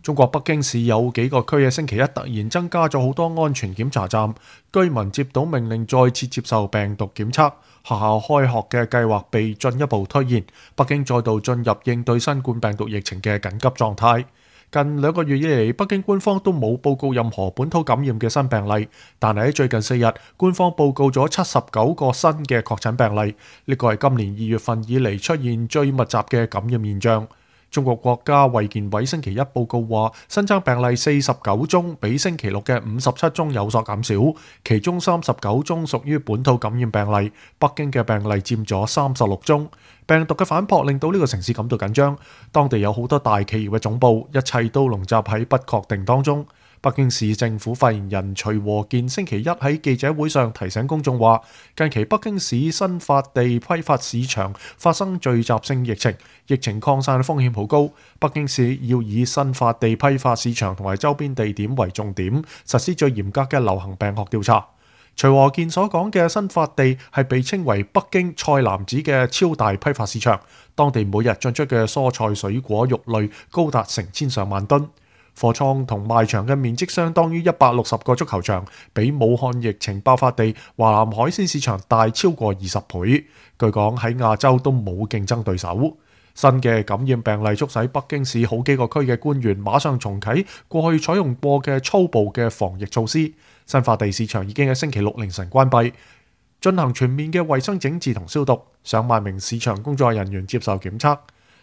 中國北京市有幾個區嘅星期一突然增加咗好多安全檢查站，居民接到命令再次接受病毒檢測，學校開學嘅計劃被進一步推延，北京再度進入應對新冠病毒疫情嘅緊急狀態。近2個月以嚟，北京官方都冇報告任何本土感染嘅新病例，但係喺最近4日，官方報告咗79個新嘅確診病例，呢個係今年2月份以嚟出現最密集嘅感染現象。中國國家衛健委星期一報告話，新增病例49宗，比星期六嘅57宗有所減少，其中39宗屬於本土感染病例，北京嘅病例佔咗36宗。病毒嘅反撲令到呢個城市感到緊張，當地有好多大企業嘅總部，一切都籠罩喺不確定當中。北京市政府發言人徐和建星期一喺記者會上提醒公眾話，近期北京市新發地批發市場發生聚集性疫情，疫情擴散風險好高，北京市要以新發地批發市場同埋周邊地點為重點，實施最嚴格嘅流行病學調查。徐和建所講嘅新發地係被稱為北京菜籃子嘅超大批發市場，當地每日進出嘅蔬菜、水果、肉類高達成千上萬噸。貨倉同賣場嘅面積相當於160個足球場，比武漢疫情爆發地華南海鮮市場大超過20倍。據講喺亞洲都冇競爭對手。新嘅感染病例促使北京市好幾個區嘅官員馬上重啟過去採用過嘅粗暴嘅防疫措施。新發地市場已經喺星期六凌晨關閉，進行全面嘅衛生整治同消毒，上萬名市場工作人員接受檢測。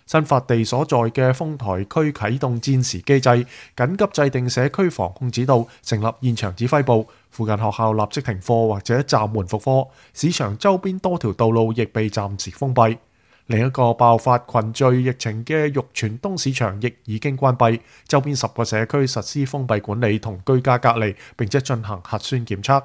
新發地所在嘅豐台區啟動戰時機制，緊急制定社區防控指導，成立現場指揮部，附近學校立即停課或者暫緩復課，市場周邊多條道路亦被暫時封閉。另一個爆發群聚疫情嘅玉泉東市場亦已經關閉，周邊10個社區實施封閉管理同居家隔離，並且進行核酸檢測。